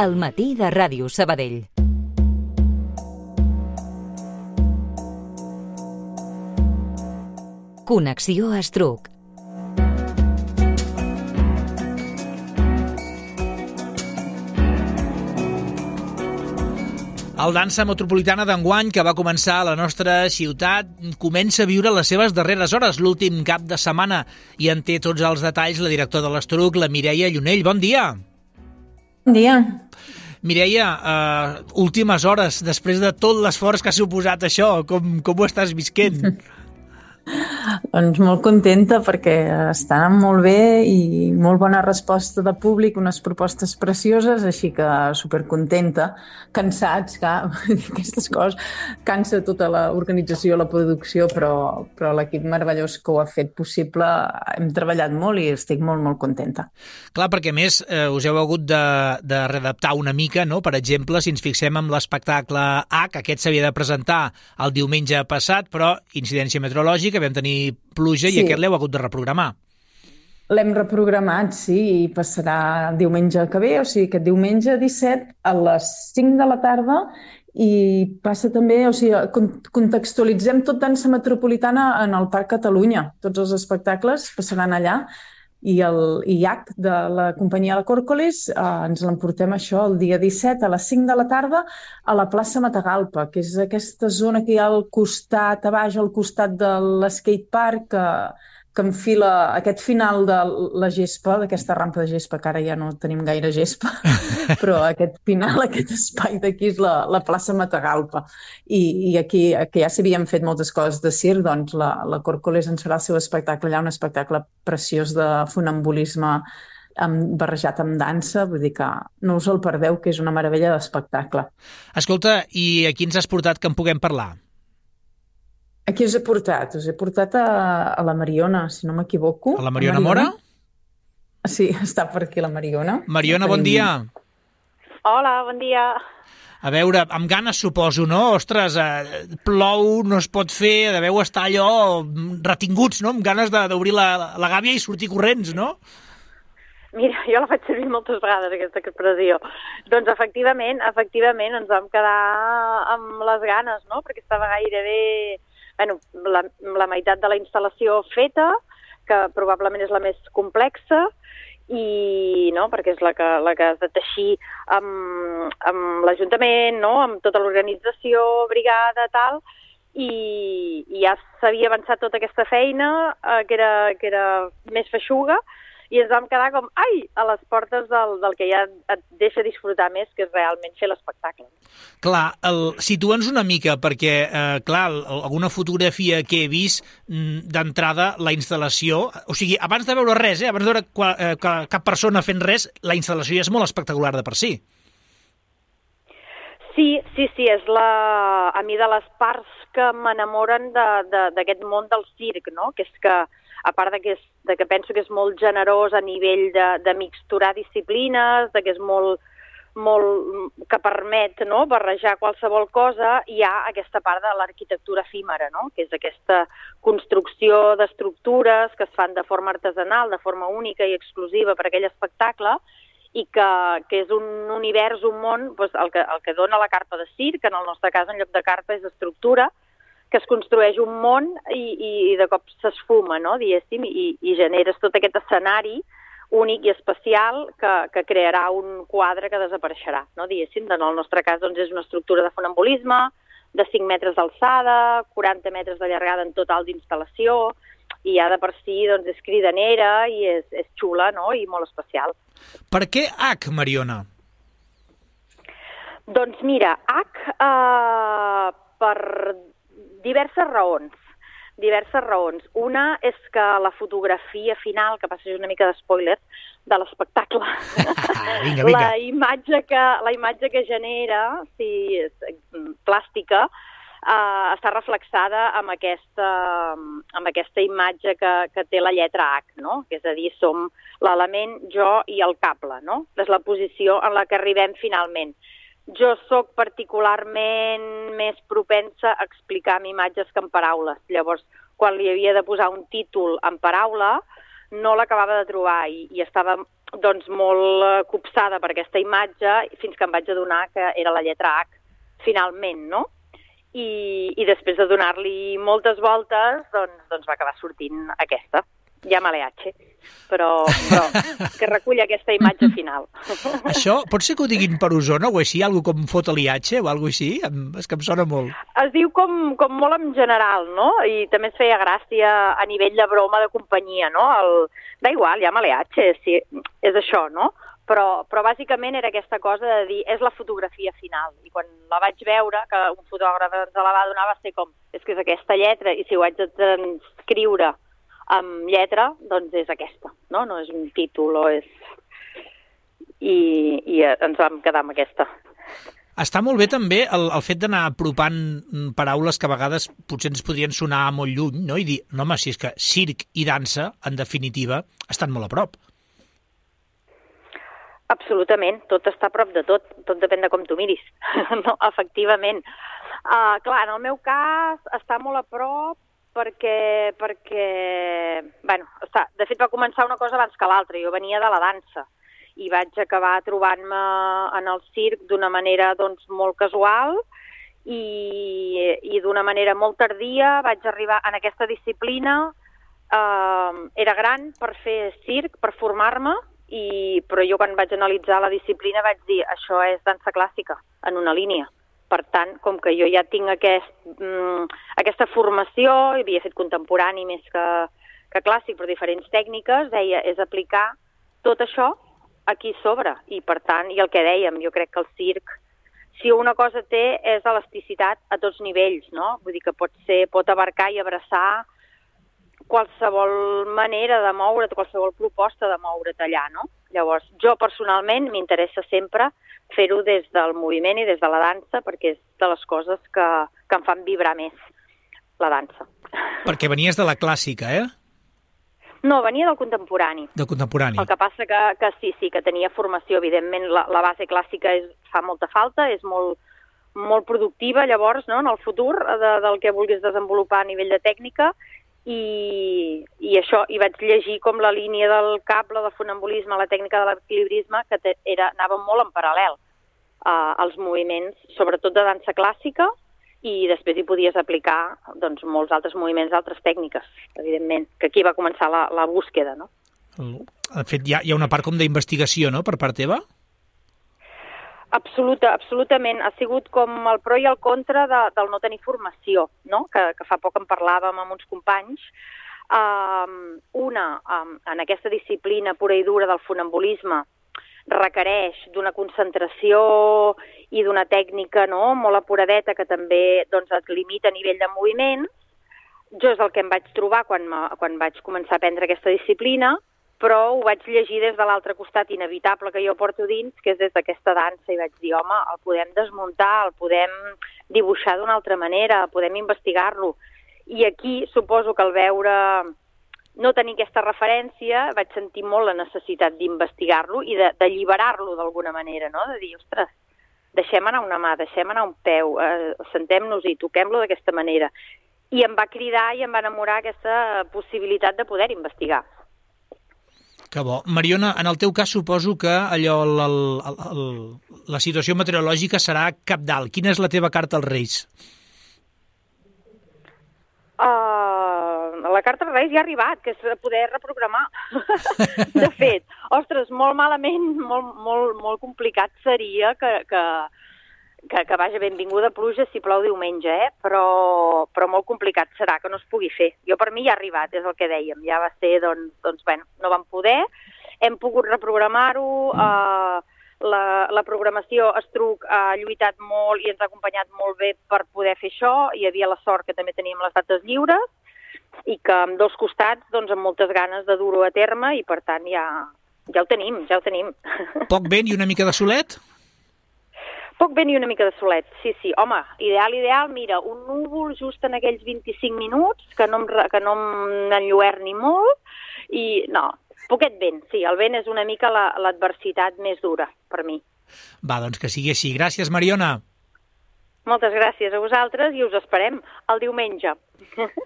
al matí de Ràdio Sabadell. Connexió Estruc. El Dansa Metropolitana d'enguany, que va començar a la nostra ciutat, comença a viure les seves darreres hores, l'últim cap de setmana, i en té tots els detalls la directora de l'Estruc, la Mireia Llunell. Bon dia! Bon dia! Mireia, últimes hores, després de tot l'esforç que ha suposat això, com ho estàs visquent? Doncs molt contenta perquè està anant molt bé i molt bona resposta de públic, unes propostes precioses, així que supercontenta, cansats, que aquestes coses cansa tota l'organització, la producció, però l'equip meravellós que ho ha fet possible, hem treballat molt i estic molt, molt contenta. Clar, perquè a més us heu hagut de readaptar una mica, no? Per exemple, si ens fixem en l'espectacle H, aquest s'havia de presentar el diumenge passat, però incidència meteorològica, vam tenir pluja i aquest l'heu hagut de reprogramar. L'hem reprogramat, sí, i passarà el diumenge que ve, o sigui, aquest diumenge 17 a les 5 de la tarda, i passa també, o sigui, contextualitzem tot Dansa Metropolitana en el Parc Catalunya. Tots els espectacles passaran allà, i el IAC de la companyia de Còrcoles ens l'emportem això el dia 17 a les 5 de la tarda a la plaça Matagalpa, que és aquesta zona que hi ha al costat, a baix, al costat de l'skatepark, que enfila aquest final de la gespa, d'aquesta rampa de gespa, que ara ja no tenim gaire gespa, però aquest final, aquest espai d'aquí és la plaça Matagalpa. I aquí, que ja s'havien fet moltes coses de circ, doncs la Còrcoles ens farà el seu espectacle allà, un espectacle preciós de funambulisme barrejat amb dansa, vull dir que no us el perdeu, que és una meravella d'espectacle. Escolta, i a qui ens has portat que en puguem parlar? Aquí us he portat? Us he portat a la Mariona, si no m'equivoco. A la Mariona Mora? Sí, està per aquí la Mariona. Mariona, bon dia. Hola, bon dia. A veure, amb ganes suposo, no? Ostres, plou, no es pot fer, deveu estar allò retinguts, no? Amb ganes d'obrir la gàbia i sortir corrents, no? Mira, jo la faig servir moltes vegades, aquesta expressió. Doncs efectivament ens vam quedar amb les ganes, no? Perquè estava gairebé la meitat de la instal·lació feta, que probablement és la més complexa, i no, perquè és la que has de teixir amb l'Ajuntament, no? Amb tota l'organització, brigada, tal, i ja s'havia avançat tota aquesta feina, que era més feixuga, i ens vam quedar com, a les portes del que ja et deixa disfrutar més, que és realment fer l'espectacle. Clar, situa'ns una mica, perquè, alguna fotografia que he vist d'entrada, la instal·lació, o sigui, abans de veure res, abans de veure cap persona fent res, la instal·lació ja és molt espectacular de per si. Sí, és a mi de les parts que m'enamoren d'aquest món del circ, no? Que és que, a part de que penso que és molt generós a nivell de mixturar disciplines, que és molt que permet, no, barrejar qualsevol cosa, hi ha aquesta part de l'arquitectura efímera, no? Que és aquesta construcció d'estructures que es fan de forma artesanal, de forma única i exclusiva per a aquell espectacle, i que és un univers, un món, doncs el que dona la carpa de circ, que en el nostre cas en lloc de carpa és estructura, que es construeix un món i de cop s'esfuma, no, diguéssim, i generes tot aquest escenari únic i especial que crearà un quadre que desapareixerà, no, diguéssim. En el nostre cas doncs, és una estructura de funambulisme, de 5 metres d'alçada, 40 metres de llargada en total d'instal·lació, i ja de per si doncs, és cridanera i és xula, no, i molt especial. Per què H, Mariona? Doncs mira, H per diverses raons. Una és que la fotografia final, que passa una mica d'espoiler, de l'espectacle, vinga. La imatge que genera, sí, plàstica, està reflexada amb aquesta imatge que té la lletra H, no? És a dir, som l'element, jo i el cable, no? És la posició en la que arribem finalment. Jo sóc particularment més propensa a explicar amb imatges que amb paraules. Llavors, quan li havia de posar un títol en paraula, no l'acabava de trobar i estava doncs molt copsada per aquesta imatge, fins que em vaig adonar que era la lletra H, finalment, no? I després de donar-li moltes voltes, doncs va acabar sortint aquesta. Llámale H, però que recull aquesta imatge final. Això pot ser que ho diguin per Osona o així, algo com fota-li H o algo així? És que em sona molt. Es diu com molt en general, no? I també es feia gràcia a nivell de broma de companyia, no? Da igual, llámale H, sí, és això, no? Però bàsicament era aquesta cosa de dir, és la fotografia final. I quan la vaig veure, que un fotògraf ens la va donar, va ser com, és que és aquesta lletra, i si ho haig de transcriure amb lletra, doncs és aquesta, no? No és un títol o és... I ens vam quedar amb aquesta. Està molt bé també el fet d'anar apropant paraules que a vegades potser ens podrien sonar molt lluny, no? I dir, no home, si és que circ i dansa, en definitiva, estan molt a prop. Absolutament, tot està a prop de tot depèn de com tu miris, no? Efectivament. Clar, en el meu cas està molt a prop perquè bueno, de fet va començar una cosa abans que l'altra. Jo venia de la dansa i vaig acabar trobant-me en el circ d'una manera doncs, molt casual i d'una manera molt tardia. Vaig arribar en aquesta disciplina, era gran per fer circ, per formar-me, però jo quan vaig analitzar la disciplina vaig dir això és dansa clàssica, en una línia. Per tant, com que jo ja tinc aquesta formació, havia fet contemporani més que clàssic, però diferents tècniques, deia, és aplicar tot això aquí sobre. I per tant, i el que dèiem, jo crec que el circ, si una cosa té, és elasticitat a tots nivells, no? Vull dir que pot abarcar i abraçar qualsevol manera de moure't, qualsevol proposta de moure't allà, no? Llavors, jo personalment m'interessa sempre fer-ho des del moviment i des de la dansa, perquè és de les coses que em fan vibrar més, la dansa. Perquè venies de la clàssica, eh? No, venia del contemporani. Del contemporani. El que passa que sí, que tenia formació, evidentment, la base clàssica fa molta falta, és molt productiva, llavors, no?, en el futur del que vulguis desenvolupar a nivell de tècnica, i això, i vaig llegir com la línia del cable de funambulisme, la tècnica de l'equilibrisme, que anava molt en paral·lel als moviments, sobretot de dansa clàssica, i després hi podies aplicar doncs, molts altres moviments d'altres tècniques, evidentment, que aquí va començar la búsqueda, no? De fet, hi ha una part com d'investigació, no?, per part teva? Absolutament. Ha sigut com el pro i el contra del no tenir formació, no? Que fa poc en parlàvem amb uns companys. En aquesta disciplina pura i dura del funambulisme requereix d'una concentració i d'una tècnica, no?, molt apuradeta, que també doncs, et limita a nivell de moviments. Jo és el que em vaig trobar quan vaig començar a aprendre aquesta disciplina, però ho vaig llegir des de l'altre costat inevitable que jo porto dins, que és des d'aquesta dansa, i vaig dir, home, el podem desmuntar, el podem dibuixar d'una altra manera, podem investigar-lo. I aquí suposo que al veure no tenir aquesta referència vaig sentir molt la necessitat d'investigar-lo i d'alliberar-lo d'alguna manera, no? De dir, ostres, deixem anar una mà, deixem anar un peu, sentem-nos-hi, toquem-lo d'aquesta manera. I em va cridar i em va enamorar aquesta possibilitat de poder investigar. Que bo. Mariona, en el teu cas suposo que allò, la situació meteorològica serà cabdal. Quina és la teva carta als Reis? La carta als Reis ja ha arribat, que és poder reprogramar. De fet, ostres, molt malament, molt complicat seria que vaja, benvinguda pluja si plou diumenge, però molt complicat serà que no es pugui fer. Jo per mi ja ha arribat, és el que dèiem, ja va ser, doncs bueno, no vam poder, hem pogut reprogramar-ho, la programació Estruc ha lluitat molt i ens ha acompanyat molt bé per poder fer això, hi havia la sort que també teníem les dates lliures i que amb dos costats, doncs amb moltes ganes de dur-ho a terme i per tant ja ho tenim. Poc vent i una mica de solet? Poc vent i una mica de solet, sí. Home, ideal, mira, un núvol just en aquells 25 minuts, que no m'enlluerni molt, i no, poquet vent, sí, el vent és una mica l'adversitat més dura per mi. Va, doncs que sigui així. Gràcies, Mariona. Moltes gràcies a vosaltres i us esperem el diumenge.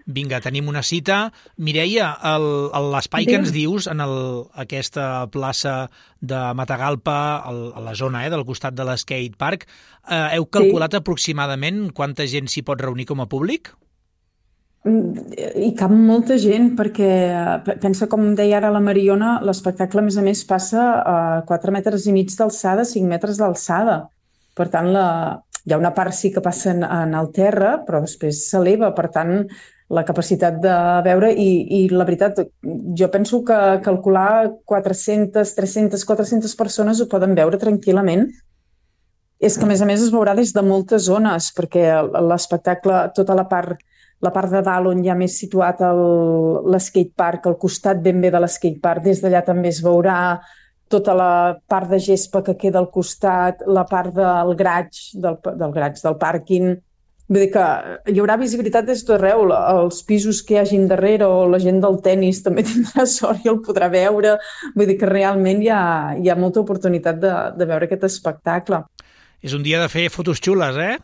Vinga, tenim una cita. Mireia, l'espai que ens dius en aquesta plaça de Matagalpa, a la zona del costat de l'skate park, heu calculat aproximadament quanta gent s'hi pot reunir com a públic? Hi cap molta gent, perquè pensa, com deia ara la Mariona, l'espectacle a més passa a 4 metres i mig d'alçada, 5 metres d'alçada. Per tant, hi ha una part sí que passa en el terra, però després s'eleva, per tant, la capacitat de veure, i la veritat, jo penso que calcular 400, 300, 400 persones ho poden veure tranquil·lament. És que, a més es veurà des de moltes zones, perquè l'espectacle, tota la part de dalt on hi ha més situat l'skatepark, al costat ben bé de l'skatepark, des d'allà també es veurà tota la part de gespa que queda al costat, la part del garatge, del pàrquing. Vull dir que hi haurà visibilitat des d'arreu, els pisos que hi hagin darrere o la gent del tennis també tindrà sort i el podrà veure. Vull dir que realment hi ha molta oportunitat de veure aquest espectacle. És un dia de fer fotos xules, eh?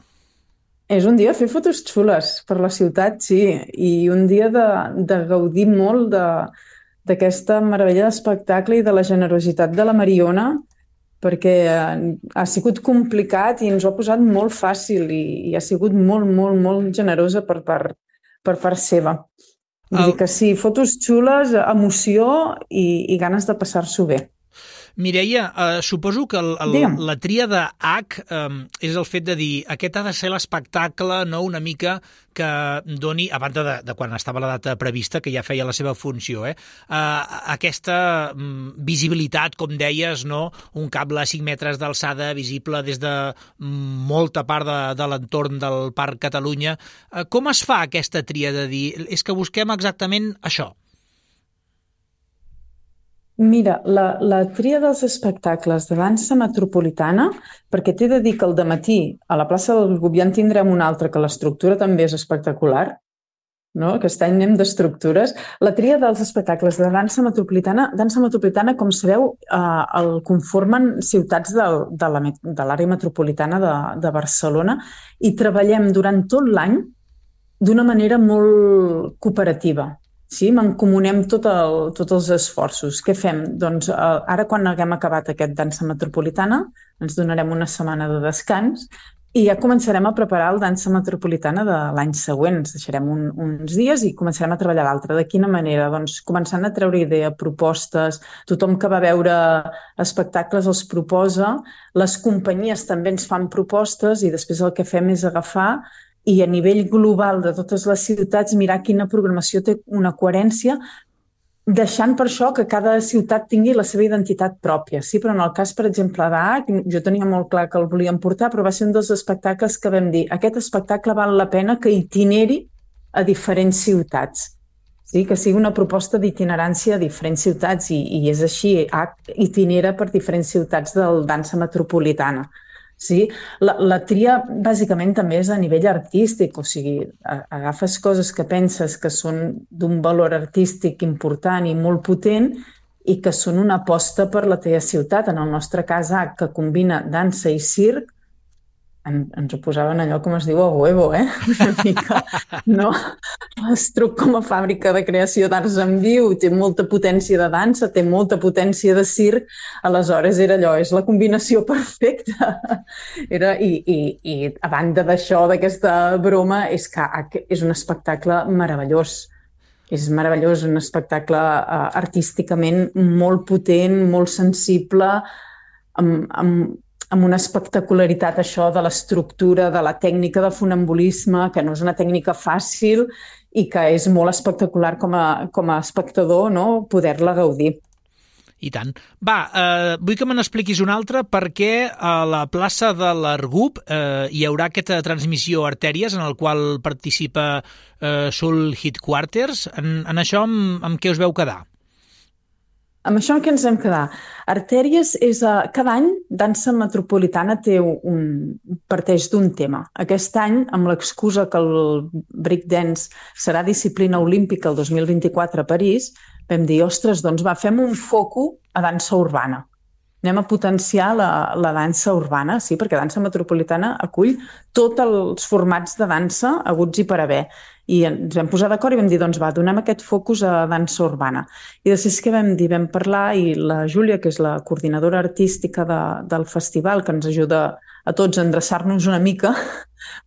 És un dia de fer fotos xules per la ciutat, sí, i un dia de gaudir molt d'aquesta meravella d'espectacle i de la generositat de la Mariona, perquè ha sigut complicat i ens ho ha posat molt fàcil i ha sigut molt, molt, molt generosa per part seva. Vull dir que sí, fotos xules, emoció i ganes de passar-s'ho bé. Mireia, suposo que la tríada H és el fet de dir aquest ha de ser l'espectacle, no, una mica que doni, a banda de quan estava la data prevista, que ja feia la seva funció, aquesta visibilitat, com deies, no? Un cable a 5 metres d'alçada visible des de molta part de l'entorn del Parc Catalunya. Com es fa aquesta tríada de dir és que busquem exactament això? Mira, la tria dels espectacles de dansa metropolitana, perquè t'he de dir que al dematí a la plaça del Gubià en tindrem un altre, que l'estructura també és espectacular, no? Aquest any anem d'estructures. La tria dels espectacles de dansa metropolitana, com sabeu, el conformen ciutats de l'àrea metropolitana de Barcelona i treballem durant tot l'any d'una manera molt cooperativa. Sí, mancomunem tots els esforços. Què fem? Doncs ara, quan haguem acabat aquest dansa metropolitana, ens donarem una setmana de descans i ja començarem a preparar el dansa metropolitana de l'any següent. Ens deixarem uns dies i començarem a treballar l'altre. De quina manera? Doncs començant a treure idea, propostes, tothom que va veure espectacles els proposa, les companyies també ens fan propostes i després el que fem és agafar i a nivell global de totes les ciutats mirar quina programació té una coherència, deixant per això que cada ciutat tingui la seva identitat pròpia. Sí, però en el cas, per exemple, d'H, jo tenia molt clar que el volíem portar, però va ser un dels espectacles que vam dir aquest espectacle val la pena que itineri a diferents ciutats. Sí, que sigui una proposta d'itinerància a diferents ciutats i és així, H itinera per diferents ciutats del dansa metropolitana. Sí? La tria bàsicament també és a nivell artístic, o sigui, agafes coses que penses que són d'un valor artístic important i molt potent i que són una aposta per la teva ciutat. En el nostre cas, que combina dansa i circ, ens ho posaven allò, com es diu, a huevo, una mica, no? L'Estruc, com a fàbrica de creació d'arts en viu, té molta potència de dansa, té molta potència de circ, aleshores era allò, és la combinació perfecta. I a banda d'això, d'aquesta broma, és que és un espectacle meravellós. És meravellós, un espectacle artísticament molt potent, molt sensible, amb una espectacularitat, això de l'estructura, de la tècnica de funambulisme, que no és una tècnica fàcil i que és molt espectacular com a espectador, no? Poder-la gaudir. I tant. Va, vull que me n'expliquis una altra, perquè a la plaça de l'Argup hi haurà aquesta transmissió Artèries en el qual participa Soul Headquarters. En això amb què us veu quedar? Amb això en què ens vam quedar? Artèries és... Cada any Dansa Metropolitana parteix d'un tema. Aquest any, amb l'excusa que el breakdance serà disciplina olímpica el 2024 a París, vam dir, ostres, doncs fem un foco a dansa urbana. anem a potenciar la dansa urbana, sí, perquè Dansa Metropolitana acull tots els formats de dansa haguts i per haver. I ens vam posar d'acord i vam dir, doncs va, donem aquest focus a dansa urbana. I després què vam dir? Vam parlar i la Júlia, que és la coordinadora artística del festival, que ens ajuda a tots a endreçar-nos una mica,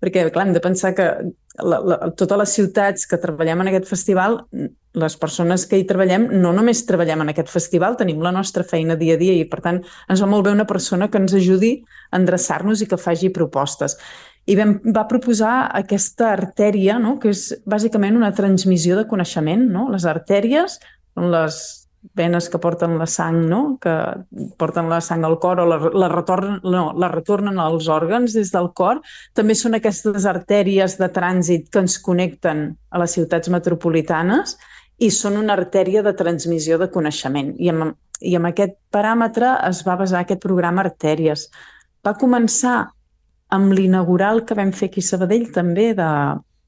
perquè, clar, hem de pensar que totes les ciutats que treballem en aquest festival, les persones que hi treballem, no només treballem en aquest festival, tenim la nostra feina dia a dia i, per tant, ens va molt bé una persona que ens ajudi a endreçar-nos i que faci propostes. I va proposar aquesta artèria, no?, que és bàsicament una transmissió de coneixement. No? Les artèries són les venes que porten la sang, no?, que porten la sang al cor o la retornen als òrgans des del cor. També són aquestes artèries de trànsit que ens connecten a les ciutats metropolitanes i són una artèria de transmissió de coneixement. I amb aquest paràmetre es va basar aquest programa Artèries. Va començar amb l'inaugural que vam fer aquí a Sabadell també de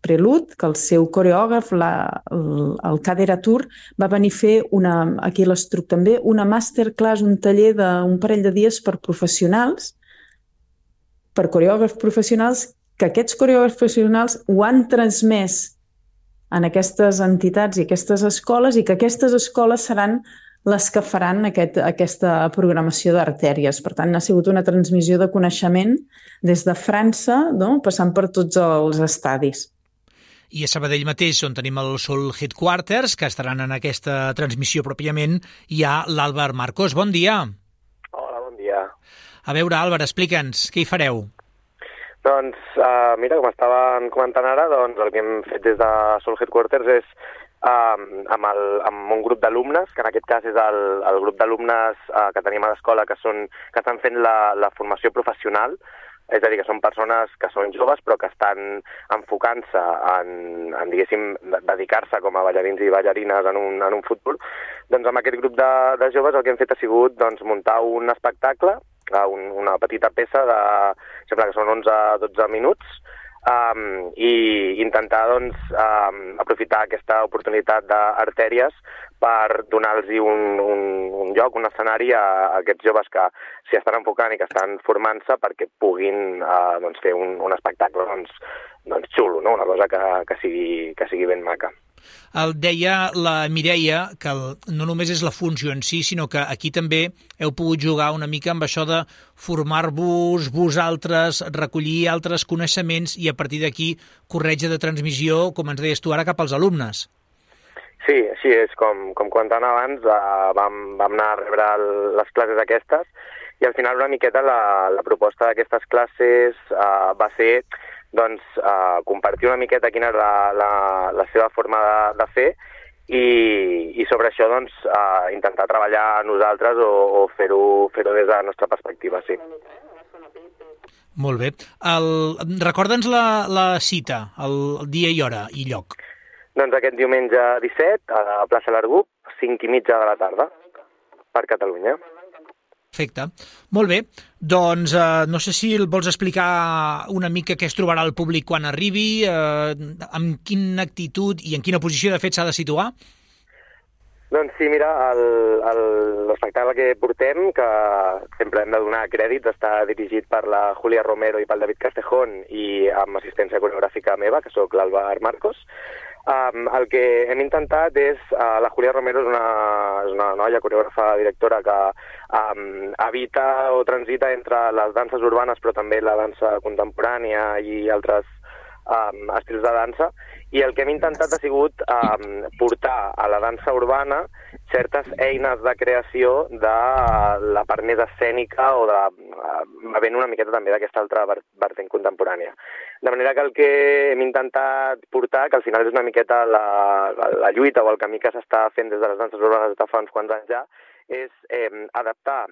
Prelude, que el seu coreògraf, el Kader Atur, va venir a fer aquí a l'Estruc també, una masterclass, un taller d'un parell de dies per professionals, per coreògrafs professionals, que aquests coreògrafs professionals ho han transmès en aquestes entitats i aquestes escoles i que aquestes escoles seran les que faran aquesta programació d'artèries. Per tant, ha sigut una transmissió de coneixement des de França, no?, passant per tots els estadis. I a Sabadell mateix, on tenim el Soul Headquarters, que estaran en aquesta transmissió pròpiament, hi ha l'Àlvar Marcos. Bon dia. Hola, bon dia. A veure, Àlvar, explica'ns, què hi fareu? Doncs, mira, com estaven comentant ara, doncs el que hem fet des de Soul Headquarters és amb un grup d'alumnes, que en aquest cas és el grup d'alumnes que tenim a l'escola que estan fent la formació professional, és a dir, que són persones que són joves però que estan enfocant-se en diguéssim, dedicar-se com a ballarins i ballarines en un futur. Doncs amb aquest grup de joves el que hem fet ha sigut muntar un espectacle, una petita peça de, sembla que són 11-12 minuts, i intentar aprofitar aquesta oportunitat d'artèries per donar-los un lloc, un escenari a aquests joves que s'hi estan enfocant i que estan formant-se perquè puguin fer un espectacle xulo, no? Una cosa que sigui ben maca. El deia la Mireia que no només és la funció en si, sinó que aquí també heu pogut jugar una mica amb això de formar-vos vosaltres, recollir altres coneixements i a partir d'aquí corretja de transmissió, com ens deies tu ara, cap als alumnes. Sí, així és. Com comentant abans, vam anar a rebre les classes aquestes i al final una miqueta la proposta d'aquestes classes va ser compartir una miqueta quina era la seva forma de fer i sobre això intentar treballar nosaltres o fer-ho des de la nostra perspectiva, sí. Molt bé. Recorda'ns la cita, el dia i hora i lloc. Doncs aquest diumenge 17 a la plaça Largup, 5:30 de la tarda, per Catalunya. Perfecte. Molt bé. Doncs no sé si el vols explicar una mica què es trobarà el públic quan arribi, amb quina actitud i en quina posició de fet s'ha de situar? Doncs sí, mira, l'espectacle que portem, que sempre hem de donar crèdit, està dirigit per la Júlia Romero i pel David Castejón i amb assistència coreogràfica meva, que sóc l'Àlvar Marcos. El que hem intentat és, la Júlia Romero és una noia coreògrafa directora que habita o transita entre les danses urbanes però també la dansa contemporània i altres estils de dansa, i el que hem intentat ha sigut portar a la dansa urbana certes eines de creació de la part més escènica o bevent una miqueta també d'aquesta altra vertent contemporània. De manera que el que hem intentat portar, que al final és una miqueta la lluita o el camí que s'està fent des de les danses urbanes des de fa uns quants anys ja, és adaptar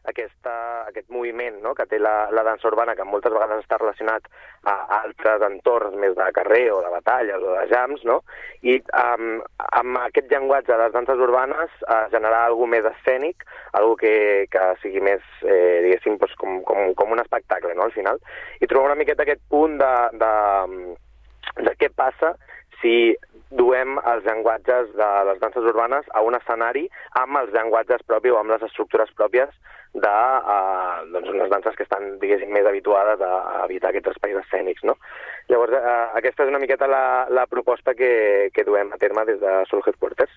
aquest moviment, no?, que té la dansa urbana, que moltes vegades està relacionat a altres entorns més de carrer o de batalles o de jams, no?, i amb aquest llenguatge de les danses urbanes generar alguna més escènic, alguna que sigui més, diguéssim, com un espectacle, no?, al final. I trobar una miqueta aquest punt de què passa si duem els llenguatges de les danses urbanes a un escenari amb els llenguatges propis o amb les estructures pròpies de unes danses que estan, diguéssim, més habituades a evitar aquests espais escènics, no? Llavors, aquesta és una miqueta la proposta que duem a terme des de Soul Headquarters.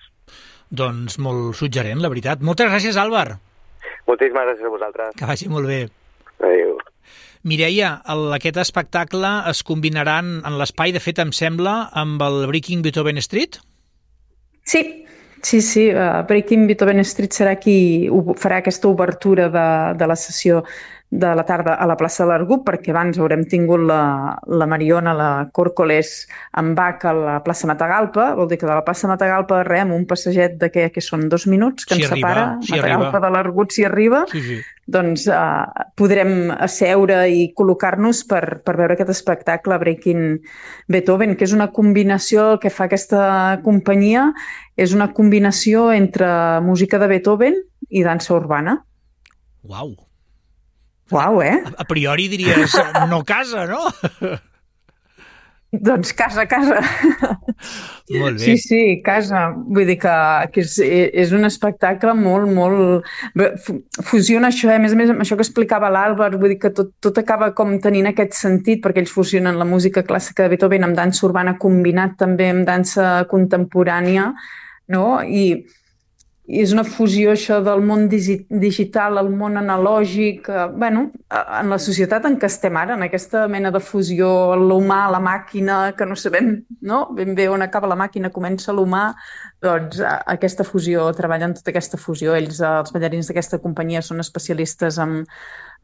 Doncs molt suggerent, la veritat. Moltes gràcies, Àlvar. Moltíssimes gràcies a vosaltres. Que vagi molt bé. Adéu. Mireia, aquest espectacle es combinarà en l'espai, de fet, em sembla, amb el Breaking Beethoven Street? Sí. Breaking Beethoven Street serà qui farà aquesta obertura de la sessió de la tarda a la plaça de l'Argup, perquè abans haurem tingut la Mariona, la Còrcoles amb Bach a la plaça Matagalpa, vol dir que de la plaça Matagalpa amb un passeget de que són 2 minuts que ens separa, Matagalpa de l'Argut si arriba, doncs podrem asseure i col·locar-nos per veure aquest espectacle Breaking Beethoven, que és una combinació, el que fa aquesta companyia és una combinació entre música de Beethoven i dansa urbana. Uau! Uau, eh? A priori diries, no casa, no? Doncs casa. Molt bé. Sí, casa. Vull dir que és un espectacle molt... Fusiona això, a més, amb això que explicava l'Àlvar, vull dir que tot acaba com tenint aquest sentit, perquè ells fusionen la música clàssica de Beethoven amb dansa urbana combinat també amb dansa contemporània, no? I és una fusió, això, del món digital al món analògic, en la societat en què estem ara, en aquesta mena de fusió, l'humà, la màquina, que no sabem, no? Ben bé on acaba la màquina, comença l'humà, doncs aquesta fusió, treballen tota aquesta fusió. Ells, els ballarins d'aquesta companyia, són especialistes en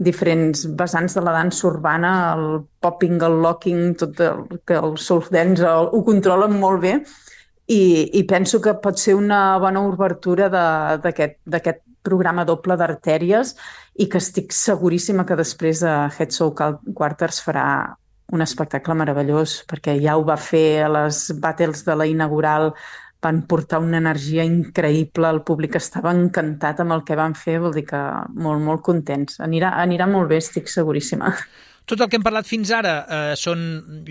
diferents vessants de la dansa urbana, el popping, el locking, tot el soul dance, ho controlen molt bé. I penso que pot ser una bona obertura d'aquest programa doble d'artèries i que estic seguríssima que després Head Soul Quarters farà un espectacle meravellós, perquè ja ho va fer a les battles de la inaugural, van portar una energia increïble, el públic estava encantat amb el que van fer, vol dir que molt, molt contents. Anirà molt bé, estic seguríssima. Tot el que hem parlat fins ara són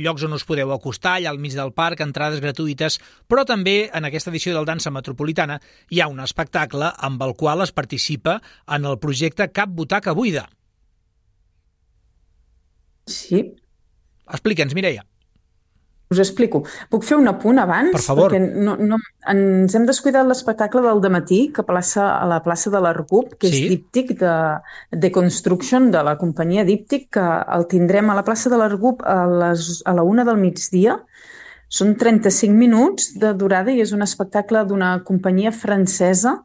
llocs on us podeu acostar, allà al mig del parc, entrades gratuïtes, però també en aquesta edició del Dansa Metropolitana hi ha un espectacle amb el qual es participa en el projecte Cap Butaca Buida. Sí. Explica'ns, Mireia. Us explico. Puc fer un apunt abans? Per favor. Perquè ens hem descuidat l'espectacle del dematí a la plaça de l'Argup, que és Díptic, de Construction, de la companyia Díptic, que el tindrem a la plaça de l'Argup a la 1 del migdia. Són 35 minuts de durada i és un espectacle d'una companyia francesa,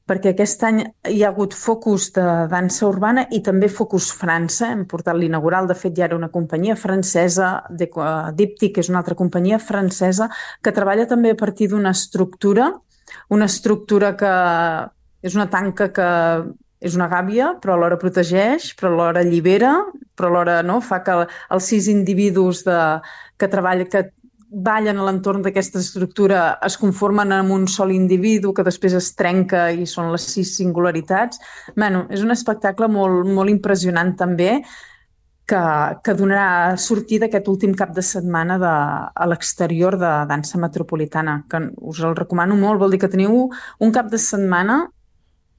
perquè aquest any hi ha hagut focus de dansa urbana i també focus França. Hem portat l'inaugural, de fet ja era una companyia francesa, Díptic, que és una altra companyia francesa, que treballa també a partir d'una estructura que és una tanca que és una gàbia, però alhora protegeix, però alhora allibera, però alhora fa que els 6 individus que ballen a l'entorn d'aquesta estructura es conformen amb un sol individu que després es trenca i són les 6 singularitats. És un espectacle molt, molt impressionant també que donarà sortida aquest últim cap de setmana a l'exterior de Dansa Metropolitana, que us el recomano molt. Vol dir que teniu un cap de setmana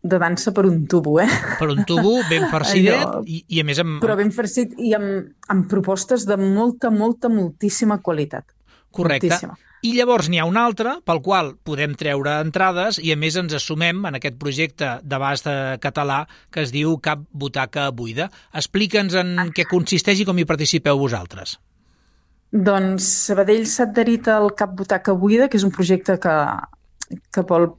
de dansa per un tubo, Per un tubo ben farcidet i a més amb... Però ben farcit i amb propostes de moltíssima qualitat. Correcte. Moltíssima. I llavors n'hi ha un altre pel qual podem treure entrades i a més ens assumem en aquest projecte d'abast català que es diu Cap Butaca Buida. Explica'ns en què consisteix i com hi participeu vosaltres. Doncs Sabadell s'ha adherit al Cap Butaca Buida, que és un projecte que vol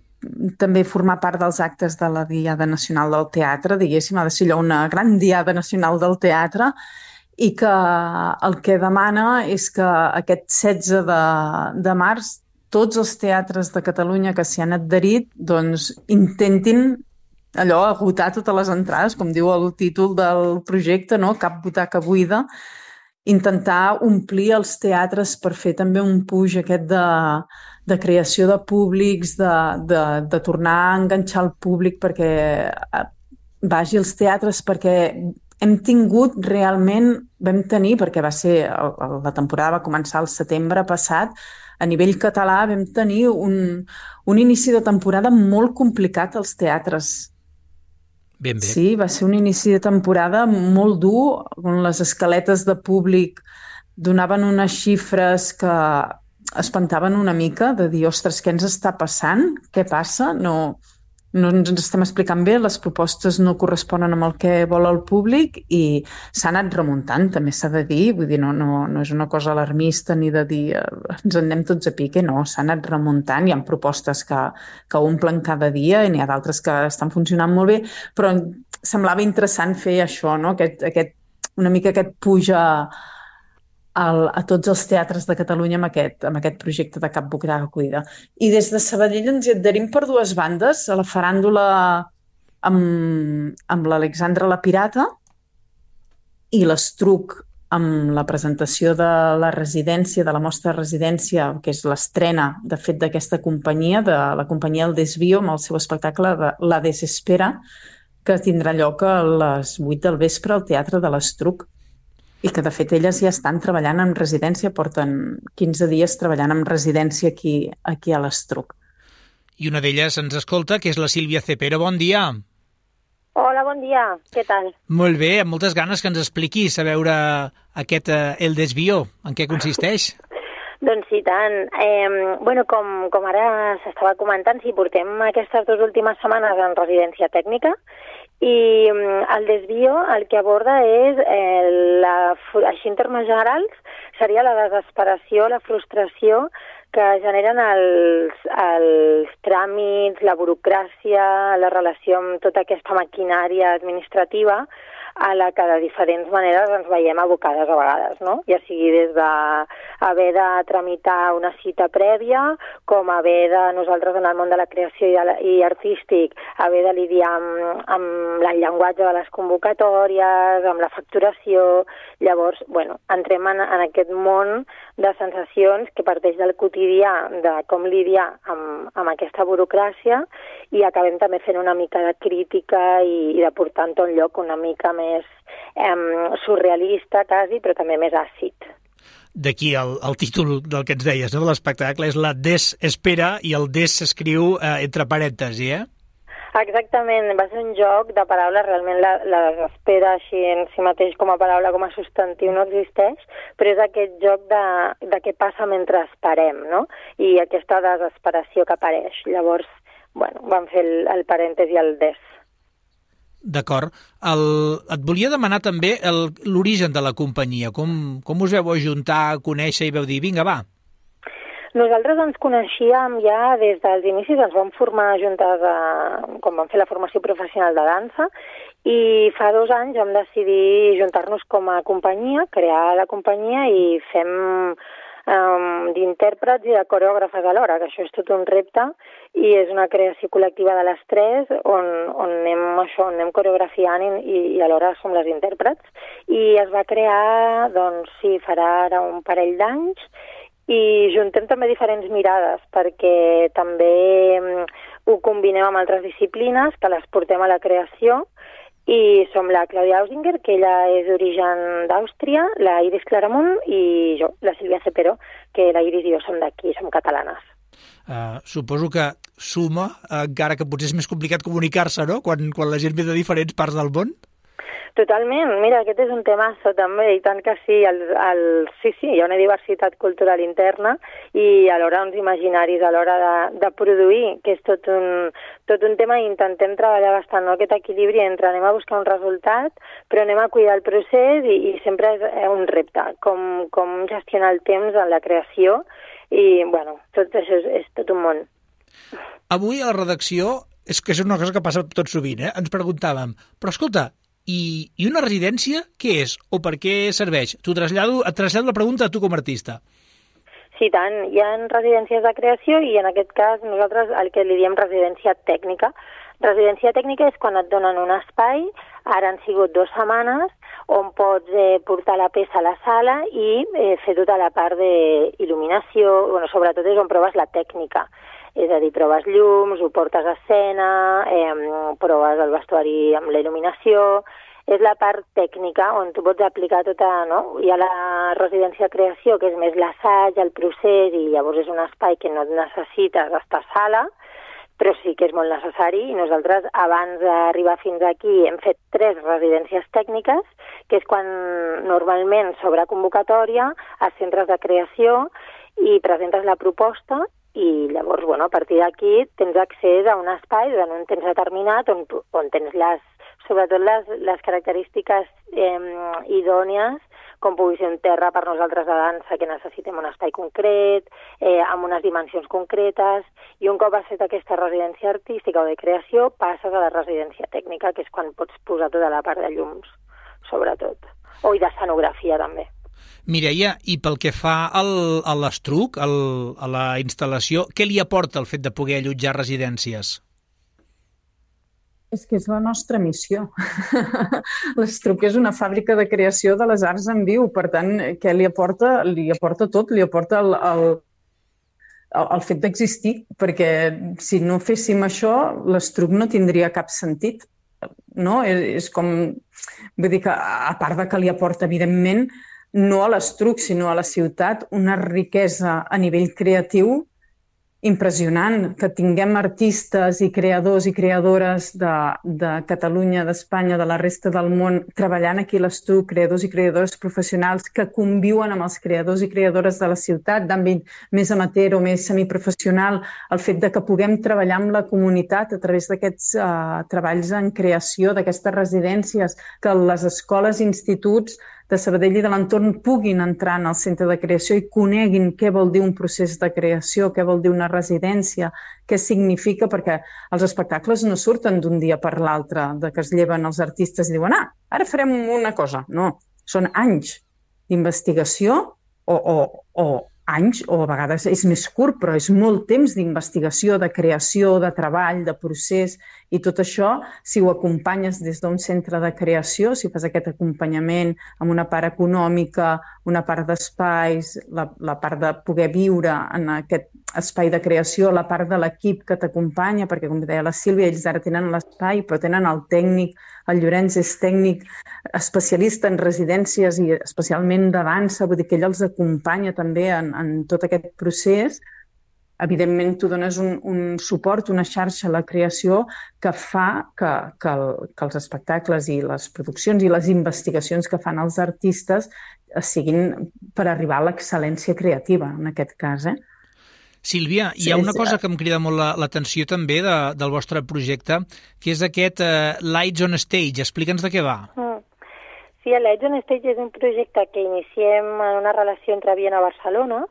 també formar part dels actes de la Diada Nacional del Teatre, diguéssim, ha de ser allò una gran Diada Nacional del Teatre, i que el que demana és que aquest 16 de març tots els teatres de Catalunya que s'hi han adherit doncs intentin agotar totes les entrades, com diu el títol del projecte, Cap Butaca Buida, intentar omplir els teatres per fer també un puix aquest de creació de públics, de tornar a enganxar el públic perquè vagi als teatres, perquè hem tingut realment, vam tenir, perquè la temporada va començar el setembre passat, a nivell català vam tenir un inici de temporada molt complicat als teatres. Ben bé. Sí, va ser un inici de temporada molt dur, on les escaletes de públic donaven unes xifres que espantaven una mica, de dir, ostres, què ens està passant? Què passa? No ens estem explicant bé, les propostes no corresponen amb el que vol el públic i s'ha anat remuntant, també s'ha de dir, vull dir, no és una cosa alarmista ni de dir ens en anem tots a pique, no, s'ha anat remuntant, hi ha propostes que omplen cada dia i n'hi ha d'altres que estan funcionant molt bé, però semblava interessant fer això, no? Una mica aquest puja a tots els teatres de Catalunya amb aquest projecte de Cap Bocada Cuida. I des de Sabadell ens hi adherim per dues bandes, a la faràndula amb l'Alexandra la Pirata i l'Estruc amb la presentació de la residència, de la mostra de residència, que és l'estrena, de fet, d'aquesta companyia, de la companyia El Desvío, amb el seu espectacle de La Desespera, que tindrà lloc a les 8 del vespre al Teatre de l'Estruc. I que, de fet, elles ja estan treballant en residència, porten 15 dies treballant en residència aquí a l'Estruc. I una d'elles ens escolta, que és la Sílvia Cepero. Bon dia. Hola, bon dia. Què tal? Molt bé, amb moltes ganes que ens expliquis a veure aquest El Desvío. En què consisteix? Doncs sí, tant. Com ara s'estava comentant, sí, portem aquestes 2 últimes setmanes en residència tècnica i el Desvío el que aborda és, així en termes generals, seria la desesperació, la frustració que generen els tràmits, la burocràcia, la relació amb tota aquesta maquinària administrativa a la que de diferents maneres ens veiem abocades a vegades, no? Ja sigui des d'haver de tramitar una cita prèvia, com haver de, nosaltres en el món de la creació i artístic, haver de lidiar amb el llenguatge de les convocatòries, amb la facturació. Llavors, entrem en aquest món de sensacions que parteix del quotidià, de com lidiar amb aquesta burocràcia, i acabem també fent una mica de crítica i de portar a un lloc una mica més surrealista, quasi, però també més àcid. D'aquí el títol del que ens deies, no? De l'espectacle és La Desespera i el des s'escriu entre parèntesis, Exactament, va ser un joc de paraules, realment la desespera així en si mateix com a paraula, com a substantiu no existeix, però és aquest joc de què passa mentre esperem, no? I aquesta desesperació que apareix. Llavors, vam fer el parèntesi i el des. D'acord. Et volia demanar també l'origen de la companyia. Com us veu ajuntar, conèixer i veu dir, vinga, va? Nosaltres ens coneixíem ja des dels inicis, ens vam formar juntes quan vam fer la formació professional de dansa, i fa 2 anys vam decidir juntar-nos com a companyia, crear la companyia i fem d'intèrprets i de coreògrafes alhora, que això és tot un repte i és una creació col·lectiva de les 3 on anem coreografiant i alhora som les intèrprets. I es va crear, farà ara un parell d'anys, i juntem també diferents mirades perquè també ho combinem amb altres disciplines que les portem a la creació, i som la Clàudia Ausinger, que ella és d'origen d'Àustria, la Iris Claramunt i jo, la Sílvia Cepero, que la Iris i jo som d'aquí, som catalanes. Suposo que suma, encara que potser és més complicat comunicar-se, no?, quan la gent ve de diferents parts del món? Totalment. Mira, aquest és un temazo també, i tant que sí. Sí, hi ha una diversitat cultural interna i alhora uns imaginaris a l'hora de produir, que és tot un tema, i intentem treballar bastant, no?, aquest equilibri entre anem a buscar un resultat, però anem a cuidar el procés i sempre és un repte, com gestionar el temps en la creació, i, tot això és tot un món. Avui a la redacció, és que és una cosa que passa tot sovint, ens preguntàvem, però escolta, i una residència què és o per què serveix? Et trasllado la pregunta a tu com a artista. Sí, tant. Hi ha residències de creació i en aquest cas nosaltres el que li diem residència tècnica. Residència tècnica és quan et donen un espai, ara han sigut 2 setmanes, on pots portar la peça a la sala i fer tota la part d'il·luminació, sobretot és on proves la tècnica. És a dir, proves llums, ho portes a escena, proves el vestuari amb la il·luminació, és la part tècnica, on tu pots aplicar tota, no? Hi ha la residència creació, que és més l'assaig, el procés, i llavors és un espai que no necessites estar a sala, però sí que és molt necessari, i nosaltres, abans d'arribar fins aquí, hem fet 3 residències tècniques, que és quan normalment s'obre convocatòria a centres de creació i presentes la proposta, i llavors, a partir d'aquí tens accés a un espai durant un temps determinat on tens sobretot les característiques idònies, com pugui ser un terra per nosaltres de dansa, que necessitem un espai concret, amb unes dimensions concretes, i un cop has fet aquesta residència artística o de creació, passes a la residència tècnica, que és quan pots posar tota la part de llums, sobretot, o i d'escenografia també. Mireia, i pel que fa a l'Estruc, a la instal·lació, què li aporta el fet de poder allotjar residències? És que és la nostra missió. L'Estruc és una fàbrica de creació de les arts en viu, per tant, què li aporta? Li aporta tot, li aporta el fet d'existir, perquè si no féssim això, l'Estruc no tindria cap sentit. No? És com, vull dir que, a part de que li aporta, evidentment, no a l'Estruc, sinó a la ciutat, una riquesa a nivell creatiu impressionant, que tinguem artistes i creadors i creadores de Catalunya, d'Espanya, de la resta del món, treballant aquí a l'Estruc, creadors i creadores professionals que conviuen amb els creadors i creadores de la ciutat, d'àmbit més amateur o més semiprofessional, el fet de que puguem treballar amb la comunitat a través d'aquests treballs en creació, d'aquestes residències, que les escoles i instituts de Sabadell i de l'entorn puguin entrar en el centre de creació i coneguin què vol dir un procés de creació, què vol dir una residència, què significa, perquè els espectacles no surten d'un dia per l'altre, de que es lleven els artistes i diuen ara farem una cosa. No, són anys d'investigació o anys, o a vegades és més curt, però és molt temps d'investigació, de creació, de treball, de procés, i tot això, si ho acompanyes des d'un centre de creació, si fas aquest acompanyament amb una part econòmica, una part d'espais, la part de poder viure en aquest espai de creació, la part de l'equip que t'acompanya, perquè, com deia la Sílvia, ells ara tenen l'espai, però tenen el tècnic, el Llorenç és tècnic especialista en residències i especialment de dansa, vull dir que ell els acompanya també en tot aquest procés. Evidentment, tu dones un suport, una xarxa a la creació que fa que els espectacles i les produccions i les investigacions que fan els artistes siguin per arribar a l'excel·lència creativa, en aquest cas, Sílvia, hi ha una cosa que em crida molt l'atenció també del vostre projecte, que és aquest Lights on Stage. Explica'ns de què va. Sí, el Lights on Stage és un projecte que iniciem en una relació entre Viena i Barcelona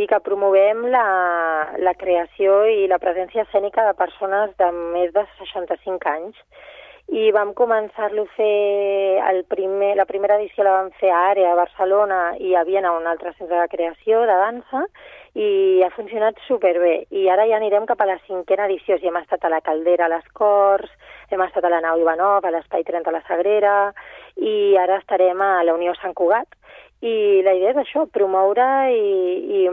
i que promovem la creació i la presència escènica de persones de més de 65 anys. I vam començar-lo a fer, la primera edició la vam fer a Àrea, a Barcelona, i a Viena, un altre centre de creació, de dansa, i ha funcionat superbé. I ara ja anirem cap a la 5a edició. Hem estat a la Caldera, a les Corts, hem estat a la Nau Ivanov, a l'Espai 30 a la Sagrera, i ara estarem a la Unió Sant Cugat. I la idea és això, promoure i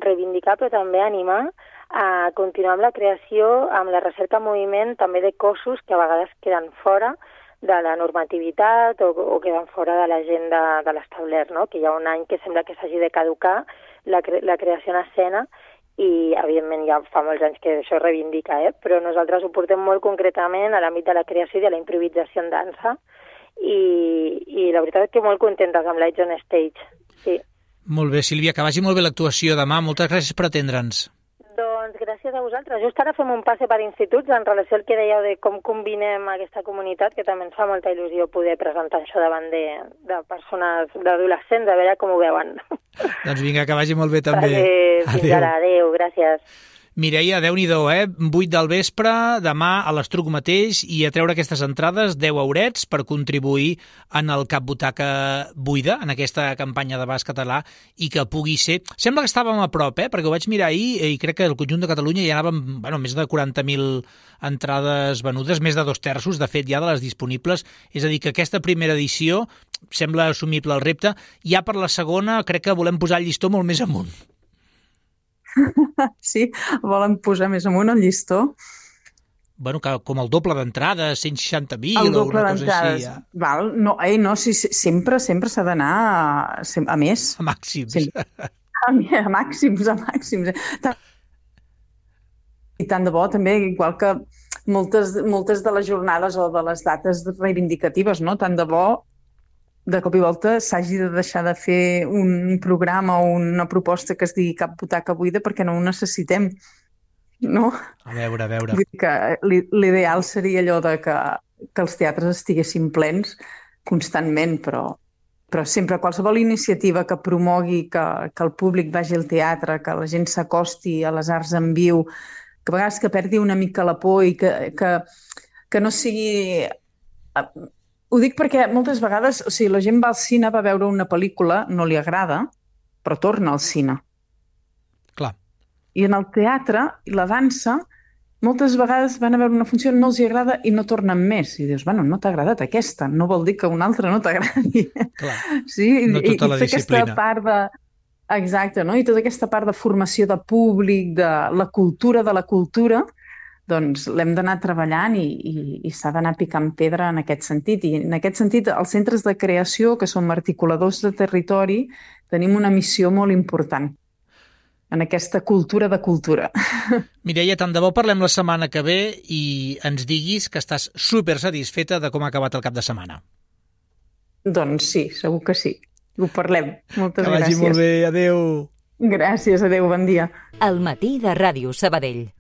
reivindicar, però també animar a continuar amb la creació, amb la recerca en moviment també de cossos que a vegades queden fora de la normativitat o queden fora de l'agenda de l'establert, no? Que hi ha un any que sembla que s'hagi de caducar la creació en escena i, evidentment, ja fa molts anys que això es reivindica, però nosaltres ho portem molt concretament a l'àmbit de la creació i de la improvisació en dansa i la veritat és que molt contentes amb Lights on Stage, sí. Molt bé, Sílvia, que vagi molt bé l'actuació demà. Moltes gràcies per atendre'ns. Doncs gràcies a vosaltres. Just ara fem un passe per instituts en relació al que dèieu de com combinem aquesta comunitat, que també ens fa molta il·lusió poder presentar això davant de persones, d'adolescents, a veure com ho veuen. Doncs vinga, que vagi molt bé també. Fins ara, adéu, gràcies. Mireia, Déu-n'hi-do, 8 del vespre, demà a l'Estruc mateix, i a treure aquestes entrades, 10 eurets per contribuir en el Cap Butaca Buida, en aquesta campanya de bas català, i que pugui ser... Sembla que estàvem a prop, perquè ho vaig mirar ahir, i crec que el conjunt de Catalunya hi anàvem, més de 40.000 entrades venudes, més de 2/3, de fet, ja de les disponibles. És a dir, que aquesta primera edició sembla assumible el repte. Ja per la segona crec que volem posar el llistó molt més amunt. Sí, volen posar més amunt el llistó. com el doble d'entrades, 160.000 el doble o una cosa d'entrades. així. Val? No, sí, sempre s'ha d'anar a més. A màxims. Sí. A màxims. I tant de bo, també, igual que moltes de les jornades o de les dates reivindicatives, no? Tant de bo, de cop i volta, s'hagi de deixar de fer un programa o una proposta que es digui Cap butaca buida perquè no ho necessitem, no? A veure. Vull dir que l'ideal seria allò de que els teatres estiguessin plens constantment, però sempre qualsevol iniciativa que promogui que el públic vagi al teatre, que la gent s'acosti a les arts en viu, que a vegades que perdi una mica la por i que no sigui... Ho dic perquè moltes vegades, o sigui, la gent va al cine, va veure una pel·lícula, no li agrada, però torna al cine. Clar. I en el teatre i la dansa, moltes vegades van a veure una funció, no els hi agrada i no tornen més. I dius, bueno, no t'ha agradat aquesta, no vol dir que una altra no t'agradi. Clar, sí? no tota la disciplina. Aquesta part de... Exacte, no? I tota aquesta part de formació de públic, de la cultura, doncs l'hem d'anar treballant i s'ha d'anar picant pedra en aquest sentit. I en aquest sentit, els centres de creació, que som articuladors de territori, tenim una missió molt important en aquesta cultura de cultura. Mireia, tant de bo parlem la setmana que ve i ens diguis que estàs super satisfeta de com ha acabat el cap de setmana. Doncs sí, segur que sí. Ho parlem. Moltes gràcies. Que vagi molt bé. Adéu. Gràcies, adéu, bon dia. El matí de Ràdio Sabadell.